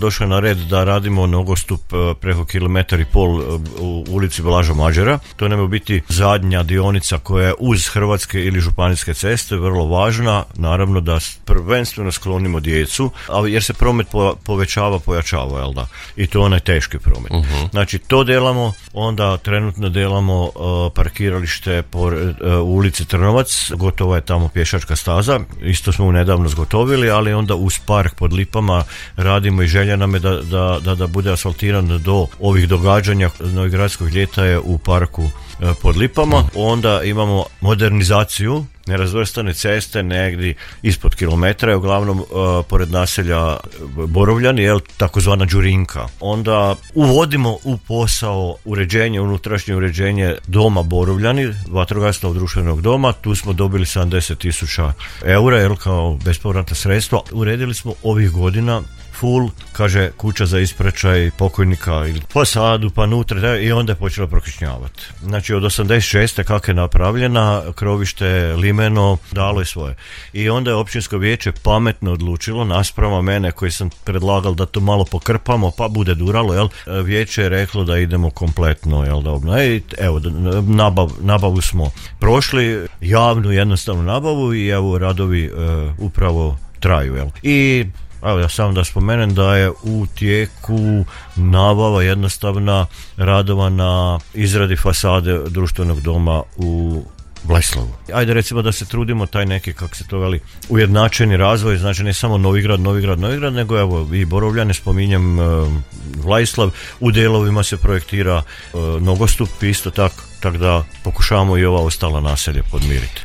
došlo je na red da radimo nogostup preko 1,5 km u ulici Blaža Mađera. To nam je biti zadnja dionica koja je uz hrvatske ili županijske ceste, vrlo važna, naravno da prvenstveno sklonimo djecu, jer se promet pojačava, jel da? I to onaj teški promet. Znači to delamo, onda trenutno delamo parkiralište u ulici Trnovac, gotova je tamo pješačka staza, isto smo nedavno zgotovili, ali onda uz park pod Lipama radimo i želja nam je da bude asfaltiran do ovih događanja. Novogradskog ljeta je u parku pod Lipama. Onda imamo modernizaciju nerazvrstane ceste negdje ispod kilometra, uglavnom pored naselja Borovljani, takozvana Đurinka. Onda uvodimo u posao unutrašnje uređenje doma Borovljani, vatrogasnog društvenog doma. Tu smo dobili 70.000 eura kao bespovratna sredstva. Uredili smo ovih godina full, kaže, kuća za ispraćaj pokojnika ili fasadu pa nutra, i onda je počela prokišnjavati. Znači od 86. kako je napravljena, krovište limeno dalo je svoje. I onda je općinsko vijeće pametno odlučilo, nasprama mene koji sam predlagal da to malo pokrpamo pa bude duralo, vijeće je reklo da idemo kompletno, evo, nabavu smo prošli, javnu jednostavnu nabavu, i evo radovi upravo traju. I evo, ja samo da spomenem da je u tijeku nabava jednostavna radova na izradi fasade društvenog doma u Bleslavu. Ajde recimo da se trudimo taj neki, kako se to veli, ujednačeni razvoj, znači ne samo Novigrad, nego evo i Borovljane, spominjem Vlaislav, u delovima se projektira nogostup isto tako da pokušavamo i ova ostala naselja podmiriti.